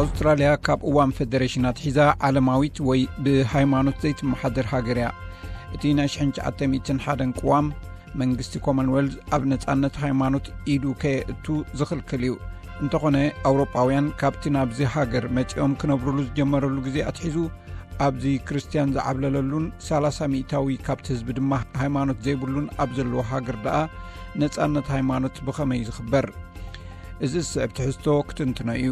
ኣውስትራልያ ካብ እዋን ፌደሬሽን ኣትሒዛ ዓለማዊት ወይ ብሃይማኖት ዘይትመሓደር ሃገር እያ። እቲ ናይ ሽሕን ትሽዓተ ሚእትን ሓደን ቅዋም መንግስቲ ኮመንዌልዝ ኣብ ነጻነት ሃይማኖት ኢዱ ከየእቱ ዝኽልክል እዩ። እንተኾነ ኣውሮጳውያን ካብቲ ናብዚ ሃገር መጺኦም ክነብሩሉ ዝጀመረሉ ግዜ ኣትሒዙ ኣብዚ ክርስትያን ዝዓብለለሉን ሰላሳ ሚእታዊ ካብቲ ህዝቢ ድማ ሃይማኖት ዘይብሉን ኣብ ዘለዎ ሃገር ደኣ ነጻነት ሃይማኖት ብኸመይ ዝኽበር? እዚ ዝስዕብ ትሕዝቶ ክትንትኖ እዩ።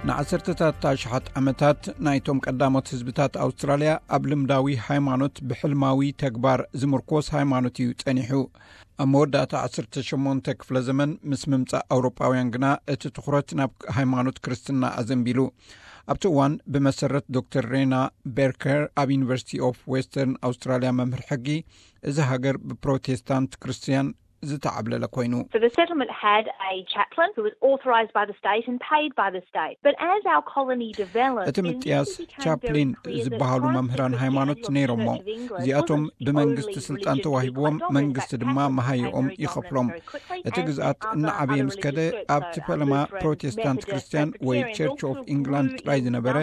ንዓሰርተታት ኣሽሓት ዓመታት ናይቶም ቀዳሞት ህዝብታት ኣውስትራልያ ኣብ ልምዳዊ ሃይማኖት ብሕልማዊ ተግባር ዝምርኮስ ሃይማኖት እዩ ጸኒሑ። ኣብ መወዳእታ ዓሰርተ ሸሞንተ ክፍለ ዘመን ምስ ምምጻእ ኣውሮጳውያን ግና እቲ ትኹረት ናብ ሃይማኖት ክርስትና ኣዘንቢሉ። ኣብቲ እዋን ብመሰረት ዶክተር ሬና ቤርከር ኣብ ዩኒቨርሲቲ ኦፍ ዌስተርን ኣውስትራልያ መምህር ሕጊ፣ እዚ ሃገር ብፕሮቴስታንት ክርስትያን ዝተዓብለለ ኮይኑ። So the settlement had a chaplain who was authorised by the state and paid by the state. But as our colony developed, እቲ ምጥያስ ቻፕሊን ዝበሃሉ መምህራን ሃይማኖት ነይሮሞ። እዚኣቶም ብመንግስቲ ስልጣን ተዋሂብዎም፣ መንግስቲ ድማ መሃይኦም ይኸፍሎም። እቲ ግዝኣት እናዓበየ ምስ ከደ ኣብቲ ፈለማ ፕሮቴስታንት ክርስትያን ወይ ቸርች ኦፍ ኢንግላንድ ጥራይ ዝነበረ፣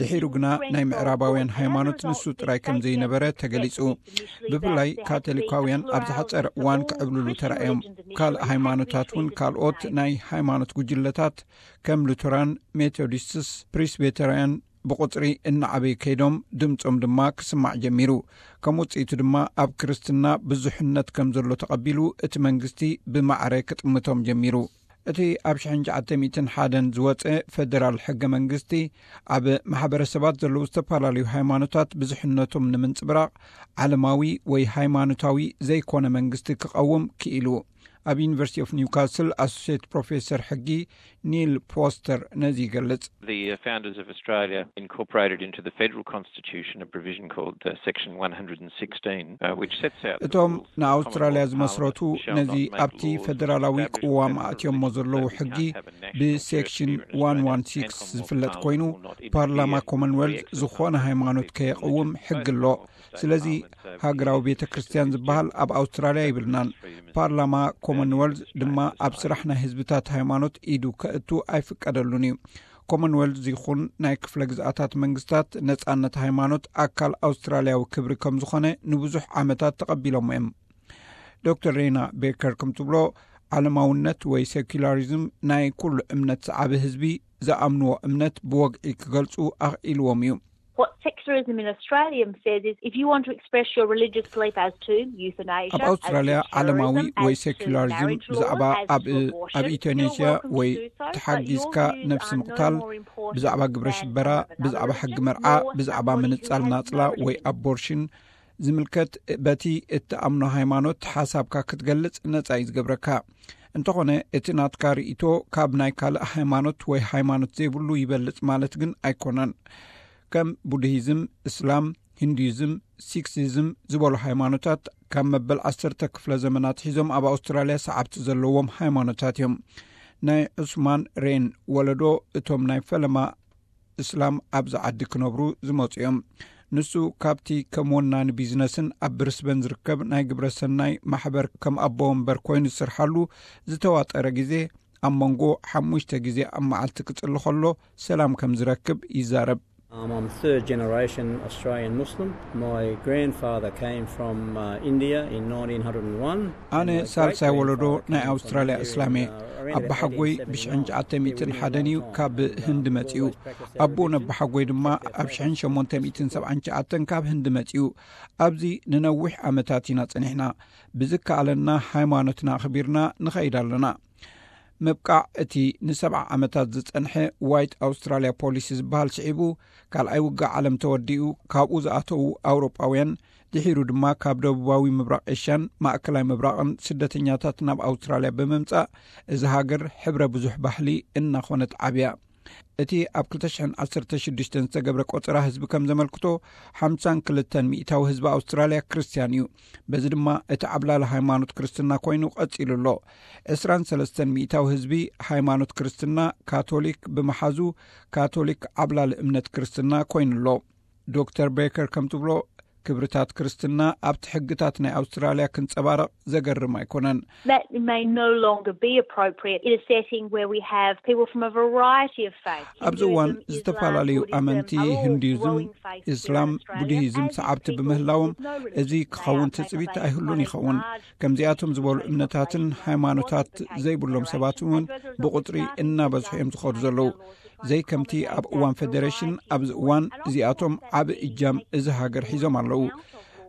ድሒሩ ግና ናይ ምዕራባውያን ሃይማኖት ንሱ ጥራይ ከም ዘይነበረ ተገሊጹ። ብፍላይ ካቶሊካውያን ኣብ ዝሓጸረ እዋን ክዕብልሉ ተራእዮም። ካልእ ሃይማኖታት እውን ካልኦት ናይ ሃይማኖት ጉጅለታት ከም ሉተራን፣ ሜቶዲስትስ፣ ፕሪስቤተርያን ብቑጽሪ እናዓበዩ ከይዶም ድምጾም ድማ ክስማዕ ጀሚሩ። ከም ውጽኢቱ ድማ ኣብ ክርስትና ብዙሕነት ከም ዘሎ ተቐቢሉ እቲ መንግስቲ ብማዕረ ክጥምቶም ጀሚሩ። እቲ ኣብ ሽሕን ትሽዓተ ሚእትን ሓደን ዝወጸ ፈደራል ሕገ መንግስቲ ኣብ ማሕበረሰባት ዘለዉ ዝተፈላለዩ ሃይማኖታት ብዙሕነቶም ንምንጽብራቕ ዓለማዊ ወይ ሃይማኖታዊ ዘይኮነ መንግስቲ ክቐውም ክኢሉ። ኣብ ዩኒቨርሲቲ ኦፍ ኒውካስል ኣሶሲየት ፕሮፌሰር ሕጊ ኒል ፖስተር ነዚ ይገልጽ። The uh, founders of Australia incorporated into the federal constitution a provision called uh, section one hundred sixteen, uh, which sets out the እቶም rules ንኣውስትራልያ of Parliament ዝመስረቱ shall ነዚ not make ኣብቲ laws ፌደራላዊ establish ቅዋም religious ኣእትዮሞ beliefs, ዘለዉ so we ሕጊ can't have a national church ብሴክሽን here in Australia and ዋን ዋን ሲክስ ዝፍለጥ Parliament ኮይኑ will not ፓርላማ interfere ኮመንዌልዝ in the free ዝኾነ exercise of ሃይማኖት religious ከየቕውም beliefs ሕጊ by ኣሎ። the state ስለዚ Parliament. So ሃገራዊ the ቤተ ክርስትያን ዝበሃል ኣብ ኣውስትራልያ ይብልናን ፓርላማ ኮመንዌልዝ ድማ ኣብ ስራሕ ናይ ህዝብታት ሃይማኖት ኢዱ ከእቱ ኣይፍቀደሉን እዩ። ኮመንዌልዝ ይኹን ናይ ክፍለ ግዝኣታት መንግስታት ነጻነት ሃይማኖት ኣካል ኣውስትራልያዊ ክብሪ ከም ዝኾነ ንብዙሕ ዓመታት ተቐቢሎሞ እዮም። ዶክተር ሬና ቤከር ከም ትብሎ ዓለማውነት ወይ ሴኩላሪዝም ናይ ኩሉ እምነት ሰዓቢ ህዝቢ ዝኣምንዎ እምነት ብወግዒ ክገልጹ ኣኽኢልዎም እዩ። What secularism in Australia says is if you want to express your religious belief as to euthanasia, ኣብ ኣውስትራልያ ዓለማዊ ወይ ሴኩላሪዝም ብዛዕባ ኣብ ኣብ ኢቶኔሽያ ወይ ተሓጊዝካ ነብሲ ምቕታል፣ ብዛዕባ ግብረ ሽበራ፣ ብዛዕባ ሕጊ መርዓ፣ ብዛዕባ ምንጻል ናጽላ ወይ ኣቦርሽን ዝምልከት በቲ እትኣምኖ ሃይማኖት ሓሳብካ ክትገልጽ ነጻ እዩ ዝገብረካ። እንተኾነ እቲ ናትካ ርእይቶ ካብ ናይ ካልእ ሃይማኖት ወይ ሃይማኖት ዘይብሉ ይበልጽ ማለት ግን ኣይኮነን። ከም ቡድሂዝም፣ እስላም፣ ሂንዱይዝም፣ ሲክሲዝም ዝበሉ ሃይማኖታት ካብ መበል ዓሰርተ ክፍለ ዘመናት ሒዞም ኣብ ኣውስትራልያ ሰዓብቲ ዘለዎም ሃይማኖታት እዮም። ናይ ዑስማን ሬን ወለዶ እቶም ናይ ፈለማ እስላም ኣብዚ ዓዲ ክነብሩ ዝመጹ እዮም። ንሱ ካብቲ ከም ወናኒ ቢዝነስን ኣብ ብሪስበን ዝርከብ ናይ ግብረ ሰናይ ማሕበር ከም ኣቦ ወንበር ኮይኑ ዝሰርሓሉ ዝተዋጠረ ግዜ ኣብ መንጎ ሓሙሽተ ግዜ ኣብ መዓልቲ ክጽሊ ከሎ ሰላም ከም ዝረክብ ይዛረብ። Um, I'm third generation Australian Muslim. My grandfather came from uh, India in nineteen hundred and one. ኣነ ሳልሳይ ወለዶ ናይ ኣውስትራልያ እስላም እየ። ኣባሓጎይ ብሽሕን ትሽዓተ ሚእትን ሓደን እዩ ካብ ህንዲ መጺኡ። ኣቦኡን ኣባሓጎይ ድማ ኣብ ሽሕን ሸሞንተ ሚእትን ሰብዓን ትሽዓተን ካብ ህንዲ መጺኡ። ኣብዚ ንነዊሕ ዓመታት ኢና ጸኒሕና። ብዝከኣለና ሃይማኖትና ኣኽቢርና ንኸይድ ኣለና። ምብቃዕ እቲ ንሰብዓ ዓመታት ዝጸንሐ ዋይት ኣውስትራልያ ፖሊሲ ዝበሃል ስዒቡ፣ ካልኣይ ውግእ ዓለም ተወዲኡ፣ ካብኡ ዝኣተዉ ኣውሮጳውያን፣ ድሒሩ ድማ ካብ ደቡባዊ ምብራቕ ኤሽያን ማእከላይ ምብራቕን ስደተኛታት ናብ ኣውስትራልያ ብምምጻእ፣ እዚ ሃገር ሕብረ ብዙሕ ባህሊ እናኾነት ዓብያ። እቲ ኣብ ክልተ ሽሕን ዓሰርተ ሽዱሽተን ዝተገብረ ቆጸራ ህዝቢ ከም ዘመልክቶ፣ ሓምሳን ክልተን ሚእታዊ ህዝቢ ኣውስትራልያ ክርስትያን እዩ። በዚ ድማ እቲ ዓብላሊ ሃይማኖት ክርስትና ኮይኑ ቀጺሉ ኣሎ። ዕስራን ሰለስተን ሚእታዊ ህዝቢ ሃይማኖት ክርስትና ካቶሊክ ብምሓዙ፣ ካቶሊክ ዓብላሊ እምነት ክርስትና ኮይኑ ኣሎ። ዶክተር ቤከር ከም ትብሎ፣ ክብርታት ክርስትና ኣብቲ ሕግታት ናይ ኣውስትራልያ ክንጸባረቕ ዘገርም ኣይኮነን። That may no longer be appropriate in a setting where we have people from a variety of faiths. ኣብዚ እዋን ዝተፈላለዩ ኣመንቲ፣ ሂንዱይዝም፣ እስላም፣ ቡድሂዝም ሰዓብቲ ብምህላዎም እዚ ክኸውን ትጽቢት ኣይህሉን ይኸውን። ከምዚኣቶም ዝበሉ እምነታትን ሃይማኖታት ዘይብሎም ሰባት እውን ብቁጽሪ እናበዝሑ እዮም ዝኸዱ ዘለዉ። ዘይከምቲ ኣብ እዋን ፌደሬሽን፣ ኣብዚ እዋን እዚኣቶም ዓቢ እጃም እዚ ሃገር ሒዞም ኣለዉ።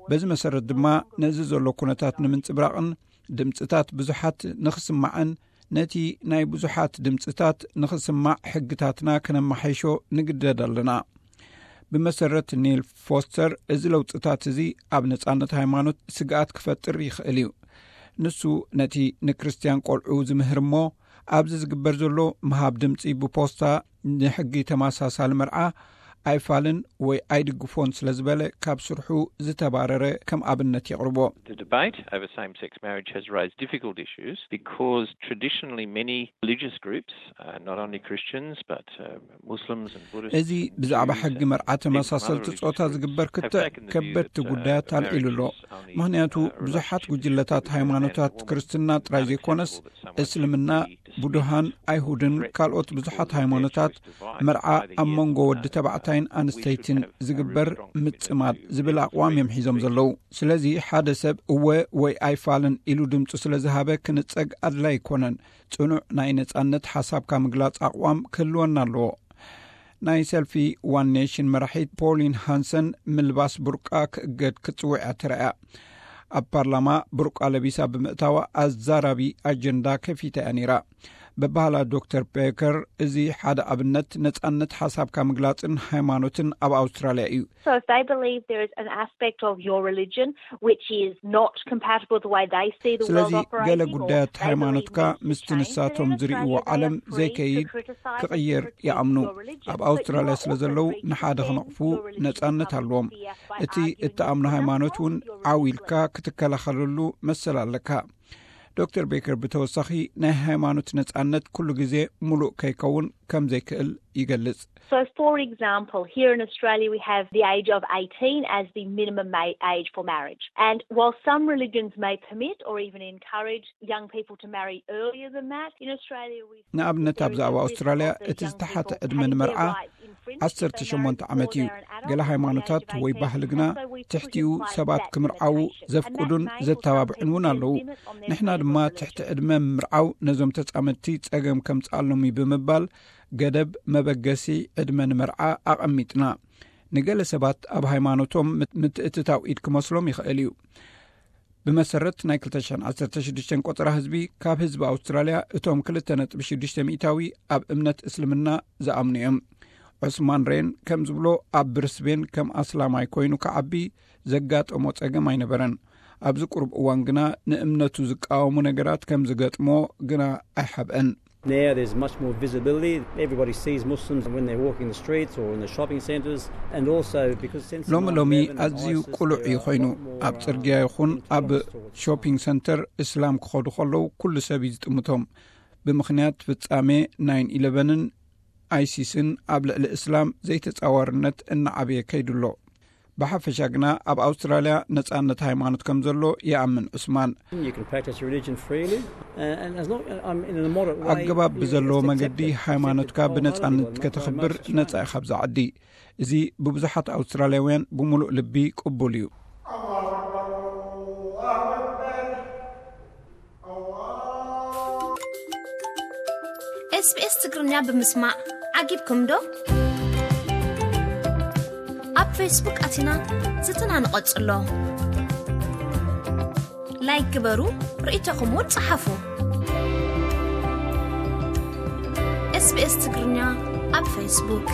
በዚ መሰረት ድማ ነዚ ዘሎ ኩነታት ንምንጽብራቕን ድምጽታት ብዙሓት ንኽስማዕን ነቲ ናይ ብዙሓት ድምጽታት ንኽስማዕ ሕግታትና ክነመሓይሾ ንግደድ ኣለና። ብመሰረት ኒል ፎስተር፣ እዚ ለውጥታት እዚ ኣብ ነጻነት ሃይማኖት ስግኣት ክፈጥር ይኽእል እዩ። ንሱ ነቲ ንክርስትያን ቆልዑ ዝምህር እሞ ኣብዚ ዝግበር ዘሎ ምሃብ ድምጺ ብፖስታ ንሕጊ ተመሳሳሊ መርዓ ኣይፋልን ወይ ኣይድግፎን ስለ ዝበለ ካብ ስርሑ ዝተባረረ ከም ኣብነት የቕርቦ። The debate over same-sex marriage has raised difficult issues because traditionally many religious groups, uh, not only Christians but uh, Muslims and Buddhists, እዚ ብዛዕባ ሕጊ መርዓ ተመሳሰልቲ ጾታ ዝግበር ክትዕ ከበድቲ ጉዳያት ኣልዒሉ ኣሎ። ምኽንያቱ ብዙሓት ጉጅለታት ሃይማኖታት ክርስትና ጥራይ ዘይኮነስ እስልምና፣ ቡድሃን፣ ኣይሁድን ካልኦት ብዙሓት ሃይማኖታት መርዓ ኣብ መንጎ ወዲ ተባዕታይን ኣንስተይትን ዝግበር ምጽማድ ዝብል ኣቕዋም እዮም ሒዞም ዘለዉ። ስለዚ ሓደ ሰብ እወ ወይ ኣይፋልን ኢሉ ድምጹ ስለ ዝሃበ ክንጸግ ኣድላይ ኣይኮነን። ጽኑዕ ናይ ነጻነት ሓሳብካ ምግላጽ ኣቕዋም ክህልወና ኣለዎ። ናይ ሰልፊ ዋን ኔሽን መራሒት ፖሊን ሃንሰን ምልባስ ቡርቃ ክእገድ ክትጽውዕ እያ ተራእያ። ኣብ ፓርላማ ቡርቃ ለቢሳ ብምእታዋ ኣዛራቢ ኣጀንዳ ከፊታ እያ ነይራ። በባህላ ዶክተር ቤከር፣ እዚ ሓደ ኣብነት ነጻነት ሓሳብካ ምግላጽን ሃይማኖትን ኣብ ኣውስትራልያ እዩ። So if they believe there is an aspect of your religion which is not compatible with the way they see the world ስለዚ operating, ገለ or ጉዳያት they believe ሃይማኖትካ needs to ምስቲ change, ንሳቶም then in ዝርእይዎ Australia they ዓለም are free ዘይከይድ to criticise and ክቕየር criticise ይኣምኑ። your religion. ኣብ But ኣውስትራልያ you are ስለ also ዘለዉ free to ንሓደ defend ክነቕፉ your religion ነጻነት publicly ኣለዎም። here by እቲ arguing እትኣምኖ you cannot ሃይማኖት እውን hold your religion ዓው ኢልካ publicly. ክትከላኸለሉ መሰል ኣለካ። ዶክተር ቤከር ብተወሳኺ ናይ ሃይማኖት ነጻነት ኩሉ ግዜ ሙሉእ ከይከውን ከም ዘይክእል ይገልጽ። So, for example, here in Australia we have the age of eighteen as the minimum ma- age for marriage. And while some religions may permit or even encourage young people to marry earlier than that, in Australia we ንኣብነት ኣብዚ ኣብ ኣውስትራልያ እቲ ዝተሓተ ዕድመ ንመርዓ ዓሰርተ ሸሞንተ ዓመት እዩ። ገለ ሃይማኖታት ወይ ባህሊ ግና ትሕቲኡ ሰባት ክምርዓዉ ዘፍቅዱን ዘተባብዑን እውን ኣለዉ። ንሕና ድማ ትሕቲ ዕድመ ምምርዓው ነዞም ተጻመድቲ ጸገም ከምጽኣሎም እዩ ብምባል ገደብ መበገሲ ዕድመ ንመርዓ ኣቐሚጥና። ንገለ ሰባት ኣብ ሃይማኖቶም ምት- ምትእትታው ኢድ ክመስሎም ይኽእል እዩ። ብመሰረት ናይ ክልተ ሽሕን ዓሰርተ ሽዱሽተን ቆጸራ ህዝቢ፣ ካብ ህዝቢ ኣውስትራልያ እቶም ክልተ ነጥቢ ሽዱሽተ ሚእታዊ ኣብ እምነት እስልምና ዝኣምኑ እዮም። ዑስማን ሬን ከም ዝብሎ፣ ኣብ ብሪስቤን ከም ኣስላማይ ኮይኑ ክዓቢ ዘጋጠሞ ጸገም ኣይነበረን። ኣብዚ ቁሩብ እዋን ግና ንእምነቱ ዝቃወሙ ነገራት ከም ዝገጥሞ ግና ኣይሓብአን። Now there's much more visibility. Everybody sees Muslims when they're walking the streets or in the shopping centres. And also because since ሎሚ ሎሚ ኣዝዩ ቁሉዕ እዩ ኮይኑ። ኣብ ጽርግያ ይኹን ኣብ ሾፒንግ ሰንተር እስላም ክኸዱ ከለዉ ኩሉ ሰብ እዩ ዝጥምቶም። ብምኽንያት ፍጻሜ ናይን ኢለቨንን ኣይሲስን ኣብ ልዕሊ እስላም ዘይተጻዋርነት እናዓበየ ከይዱ ኣሎ። ብሓፈሻ ግና ኣብ ኣውስትራልያ ነጻነት ሃይማኖት ከም ዘሎ ይኣምን ዑስማን። You can practice religion freely. Uh, and as long, um, in a moderate way, ኣገባብ you ብዘለዎ accept- መገዲ accept- ሃይማኖትካ accepted ብነጻነት wholeheartedly by ከተኽብር most Australians. ነጻ ኢኻ ኣብዚ ዓዲ። እዚ ብብዙሓት ኣውስትራልያውያን ብምሉእ ልቢ ቅቡል እዩ። ኤስቢኤስ ትግርኛ ብምስማዕ ዓጊብኩም ዶ? ኣብ ፌስቡክ ኣቲና ዝትና ንቐጽሎ። ላይክ ግበሩ፣ ርእይቶኹም እውን ጸሓፉ። ኤስቢኤስ ትግርኛ ኣብ ፌስቡክ።